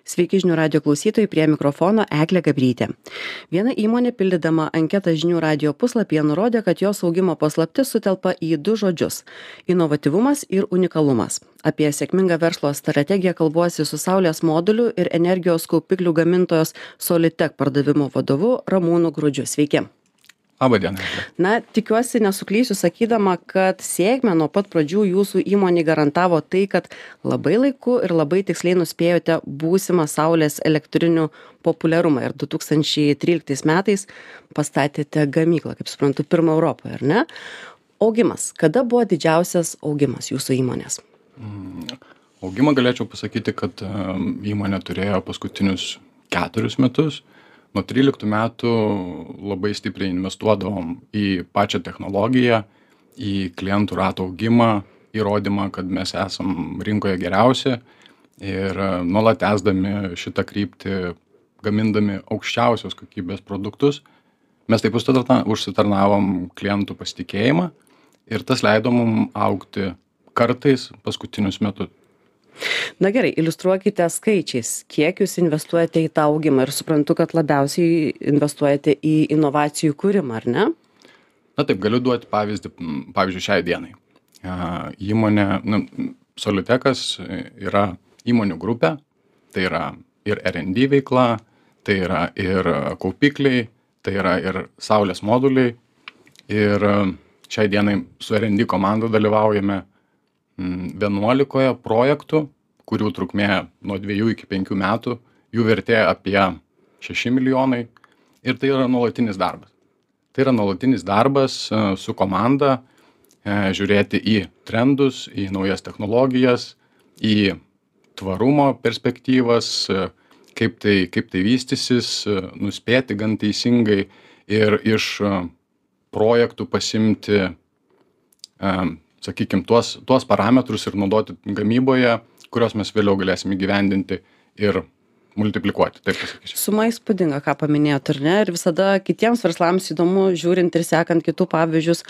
Sveiki žinių radio klausytojai, prie mikrofono Eglė Gabrytė. Viena įmonė pildydama anketą žinių radio puslapyje nurodė, kad jos augimo paslaptis sutelpa į du žodžius - inovatyvumas ir unikalumas. Apie sėkmingą verslo strategiją kalbuosi su saulės modulių ir energijos kaupiklių gamintojos Solitech pardavimo vadovu Ramūnu Grudžiu. Sveiki. Labą dieną. Na, tikiuosi nesuklysiu sakydama, kad sėkmę nuo pat pradžių jūsų įmonė garantavo tai, kad labai laiku ir labai tiksliai nuspėjote būsimą saulės elektrinių populiarumą ir 2013 metais pastatėte gamyklą, kaip suprantu, pirmą Europoje, ar ne? Augimas. Kada buvo didžiausias augimas jūsų įmonės? Augimą galėčiau pasakyti, kad įmonė turėjo paskutinius 4 metus. Nuo 13 metų labai stipriai investuodavom į pačią technologiją, į klientų rato augimą, įrodymą, kad mes esam rinkoje geriausi ir nuolat tęsdami šitą kryptį, gamindami aukščiausios kokybės produktus, mes taip užsitarnavom klientų pasitikėjimą ir tas leido mum augti kartais paskutinius metus. Na gerai, iliustruokite skaičiais, kiek jūs investuojate į tą augimą ir suprantu, kad labiausiai investuojate į inovacijų kūrimą, ar ne? Na taip, galiu duoti pavyzdį, pavyzdžiui, šiai dienai. Įmonė, Solitechas yra įmonių grupė, tai yra ir R&D veikla, tai yra ir kaupikliai, tai yra ir saulės moduliai. Ir šiai dienai su R&D komanda dalyvaujame 11 projektų, kurių trukmė nuo 2 iki 5 metų, jų vertė apie 6 milijonai ir tai yra nuolatinis darbas. Tai yra nuolatinis darbas su komanda, žiūrėti į trendus, į naujas technologijas, į tvarumo perspektyvas, kaip tai vystysis, nuspėti gan teisingai ir iš projektų pasimti sakykime, tuos parametrus ir naudoti gamyboje, kurios mes vėliau galėsime įgyvendinti ir multiplikuoti, taip pasakysiu. Suma įspūdinga, ką paminėjot, ar ne? Ir visada kitiems verslams įdomu, žiūrint ir sekant kitų pavyzdžius,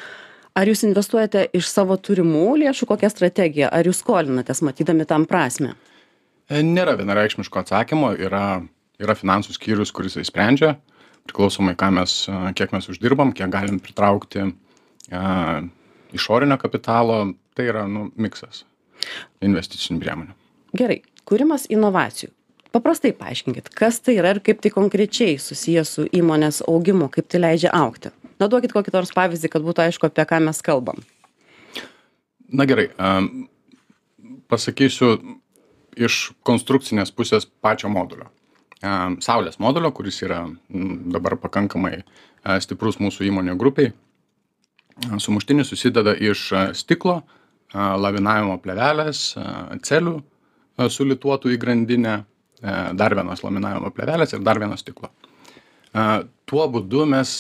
ar jūs investuojate iš savo turimų lėšų, kokią strategiją, ar jūs skolinatės, matydami tam prasmę? Nėra vienareikšmiško atsakymo, yra finansų skyrius, kuris sprendžia, priklausomai kiek mes uždirbam, kiek galim pritraukti išorinio kapitalo, tai yra miksas investicinių priemonių. Gerai, kūrimas inovacijų. Paprastai paaiškinkit, kas tai yra ir kaip tai konkrečiai susijęs su įmonės augimu, kaip tai leidžia augti. Na, duokit kokį nors pavyzdį, kad būtų aišku, apie ką mes kalbam. Na gerai, pasakysiu iš konstrukcinės pusės pačio modulio. Saulės modulio, kuris yra dabar pakankamai stiprus mūsų įmonių grupiai. Sumuštinis susideda iš stiklo, lavinavimo plėvelės, celių sulituotų į grandinę, dar vienos laminavimo plėvelės ir dar vieno stiklo. Tuo būdu mes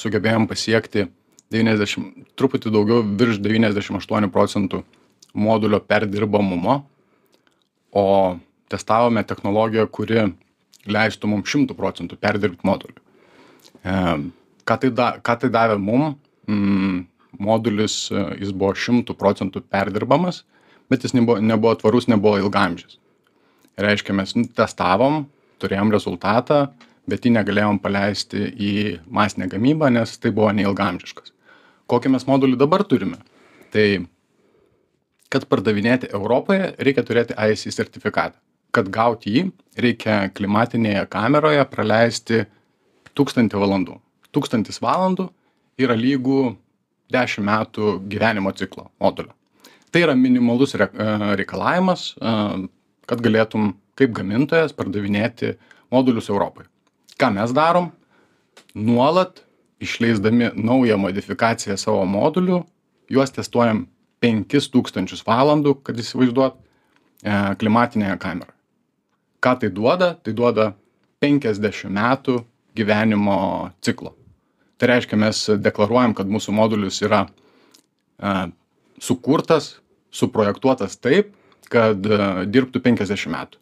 sugebėjom pasiekti truputį daugiau virš 98% modulio perdirbamumo, o testavome technologiją, kuri leistų mums 100% perdirbti modulių. Ką tai davė mum? Modulis, jis buvo 100% perdirbamas, bet jis nebuvo tvarus, nebuvo ilgaamžis. Reiškia, mes testavom, turėjom rezultatą, bet jį negalėjom paleisti į masinę gamybą, nes tai buvo neilgaamžiškas. Kokį mes modulį dabar turime? Tai, kad pardavinėti Europoje, reikia turėti ISE sertifikatą. Kad gauti jį, reikia klimatinėje kameroje praleisti 1000 valandų. 1000 valandų yra lygų 10 metų gyvenimo ciklo modulio. Tai yra minimalus reikalavimas, kad galėtum kaip gamintojas pardavinėti modulius Europoje. Ką mes darom? Nuolat išleisdami naują modifikaciją savo modulių, juos testuojam 5000 valandų, kad įsivaizduot klimatinėje kameroje. Ką tai duoda? Tai duoda 50 metų gyvenimo ciklo. Tai reiškia, mes deklaruojam, kad mūsų modulius yra sukurtas, suprojektuotas taip, kad dirbtų 50 metų.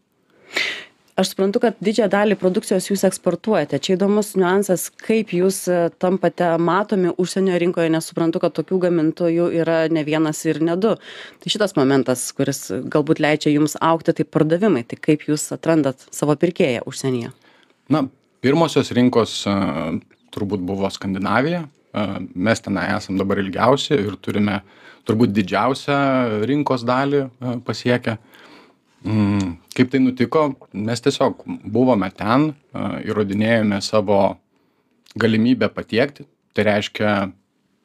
Aš suprantu, kad didžiąją dalį produkcijos jūs eksportuojate. Čia įdomus niuansas, kaip jūs tampate matomi užsienio rinkoje, nes suprantu, kad tokių gamintojų yra ne vienas ir ne du. Tai šitas momentas, kuris galbūt leidžia jums augti, tai pardavimai. Tai kaip jūs atrandat savo pirkėją užsienyje? Na, pirmosios rinkos turbūt buvo Skandinavija. Mes tenai esam dabar ilgiausi ir turime turbūt didžiausią rinkos dalį pasiekę. Kaip tai nutiko, mes tiesiog buvome ten, įrodinėjome savo galimybę patiekti, tai reiškia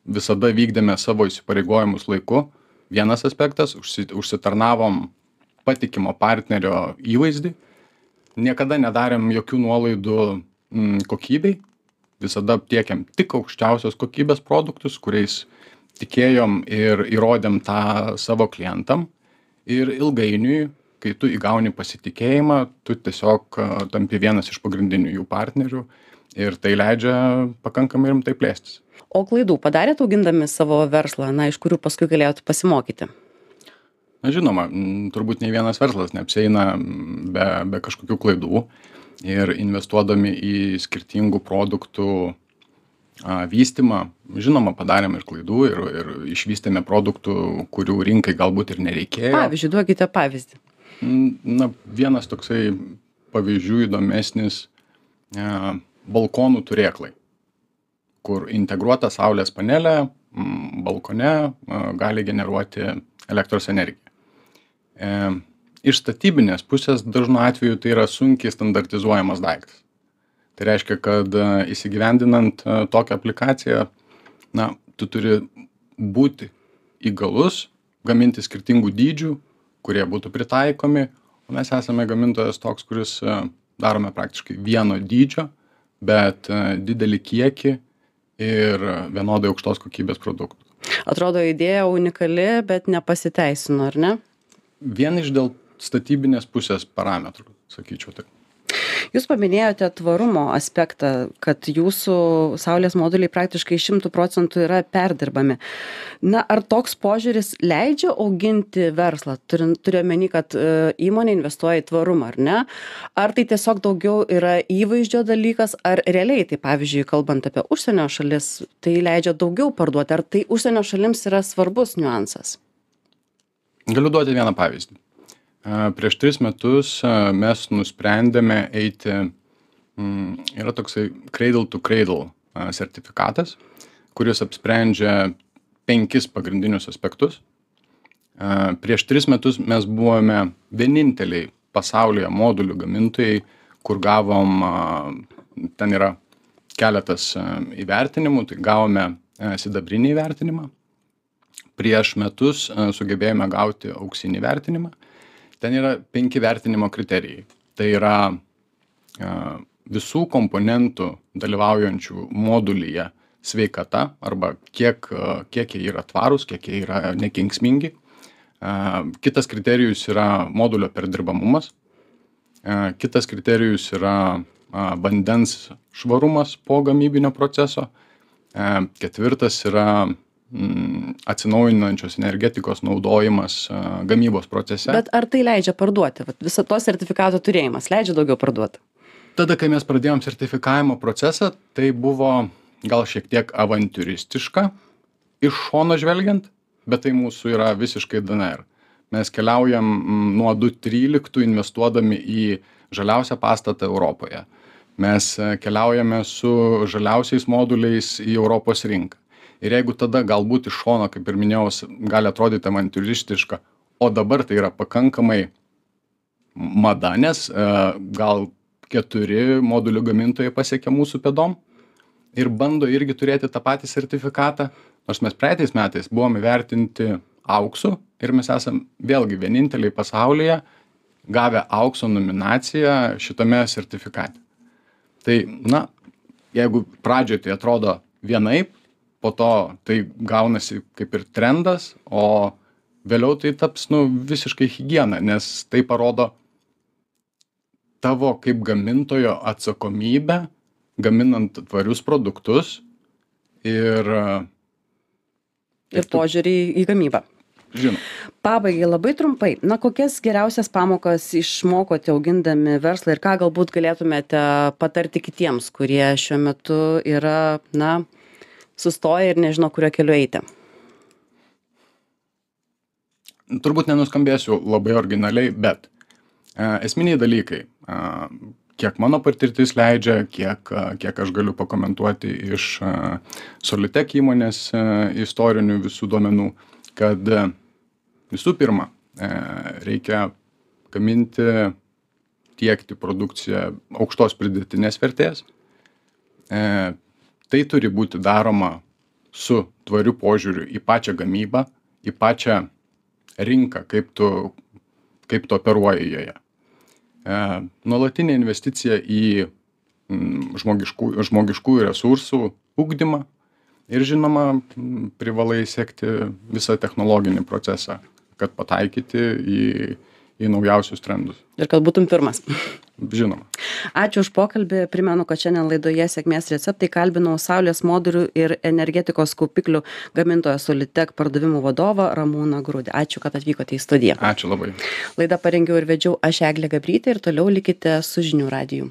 visada vykdėme savo įsipareigojimus laiku. Vienas aspektas, užsitarnavom patikimo partnerio įvaizdį, niekada nedarėm jokių nuolaidų kokybei, visada tiekėm tik aukščiausios kokybės produktus, kuriais tikėjom ir įrodėm tą savo klientam ir ilgainiui, kai tu įgauni pasitikėjimą, tu tiesiog tampi vienas iš pagrindinių jų partnerių ir tai leidžia pakankamai rimtai plėstis. O klaidų padarėt augindami savo verslą, iš kurių paskui galėjot pasimokyti? Na, žinoma, turbūt nei vienas verslas neapsieina be kažkokių klaidų ir investuodami į skirtingų produktų vystymą, žinoma, padarėm ir klaidų ir išvystėme produktų, kurių rinkai galbūt ir nereikėjo. Pavyzdžiui, duokite pavyzdį. Na, vienas toksai pavyzdžių įdomesnis balkonų turėklai, kur integruota saulės panelė balkone gali generuoti elektros energiją. Iš statybinės pusės dažnu atveju tai yra sunkiai standartizuojamas daiktas. Tai reiškia, kad įsigyvendinant tokią aplikaciją, na, tu turi būti įgalus, gaminti skirtingų dydžių, kurie būtų pritaikomi, o mes esame gamintojas toks, kuris darome praktiškai vieno dydžio, bet didelį kiekį ir vienodai aukštos kokybės produktų. Atrodo, idėja unikali, bet nepasiteisino, ar ne? Vien iš dėl statybinės pusės parametrų, sakyčiau taip. Jūs paminėjote tvarumo aspektą, kad jūsų saulės moduliai praktiškai 100% yra perdirbami. Na, ar toks požiūris leidžia auginti verslą? Turiu omeny, kad įmonė investuoja į tvarumą, ar ne? Ar tai tiesiog daugiau yra įvaizdžio dalykas, ar realiai, tai pavyzdžiui, kalbant apie užsienio šalis, tai leidžia daugiau parduoti, ar tai užsienio šalims yra svarbus niuansas? Galiu duoti vieną pavyzdį. Prieš 3 metus mes nusprendėme eiti, yra toksai Cradle to Cradle sertifikatas, kuris apsprendžia 5 pagrindinius aspektus. Prieš 3 metus mes buvome vieninteliai pasaulyje modulių gamintojai, kur gavom, ten yra keletas įvertinimų, tai gavome sidabrinį įvertinimą. Prieš metus sugebėjome gauti auksinį įvertinimą. Ten yra 5 vertinimo kriterijai. Tai yra visų komponentų dalyvaujančių modulyje sveikata arba kiek jie yra tvarūs, kiek jie yra nekenksmingi. Kitas kriterijus yra modulio perdirbamumas. Kitas kriterijus yra vandens švarumas po gamybinio proceso. Ketvirtas yra atsinaujinančios energetikos naudojimas gamybos procese. Bet ar tai leidžia parduoti? Viso to sertifikato turėjimas leidžia daugiau parduoti? Tada, kai mes pradėjom sertifikavimo procesą, tai buvo gal šiek tiek avantiūristiška iš šono žvelgiant, bet tai mūsų yra visiškai DNR. Mes keliaujam nuo 2013 investuodami į žaliausią pastatą Europoje. Mes keliaujame su žaliausiais moduliais į Europos rinką. Ir jeigu tada galbūt iš šono, kaip ir minėjau, gali atrodyti avantiūristiška, o dabar tai yra pakankamai mada, nes gal 4 modulių gamintojai pasiekia mūsų pėdom ir bando irgi turėti tą patį sertifikatą, nors mes praeitais metais buvome įvertinti auksu ir mes esam vėlgi vieninteliai pasaulyje gavę aukso nominaciją šitame sertifikate. Tai, na, jeigu pradžioje tai atrodo vienaip, po to tai gaunasi kaip ir trendas, o vėliau tai taps visiškai higiena, nes tai parodo tavo kaip gamintojo atsakomybę, gaminant tvarius produktus ir požiūrį į gamybą. Žinoma. Pabaigai labai trumpai. Na, kokias geriausias pamokas išmokote augindami verslą ir ką galbūt galėtumėte patarti kitiems, kurie šiuo metu yra, na, sustoję ir nežino, kurio keliu eiti? Turbūt nenuskambėsiu labai originaliai, bet esminiai dalykai, kiek mano patirtis leidžia, kiek aš galiu pakomentuoti iš Solitek įmonės istorinių visų duomenų, kad visų pirma, reikia gaminti, tiekti produkciją aukštos pridėtinės vertės. Tai turi būti daroma su tvariu požiūriu į pačią gamybą, į pačią rinką, kaip tu operuoji joje. Nuolatinė investicija į žmogiškųjų resursų ugdymą ir žinoma, privalai sekti visą technologinį procesą, kad pataikyti į naujausius trendus. Ir kad būtum pirmas. Žinoma. Ačiū už pokalbį. Primenu, kad šiandien laidoje Sėkmės receptai kalbinau saulės modulių ir energetikos kaupiklių gamintojo Solitek pardavimų vadovą Ramūną Grudį. Ačiū, kad atvykote į studiją. Ačiū labai. Laidą parengiau ir vedžiau aš Eglė Gabrytė ir toliau likite su žinių radiju.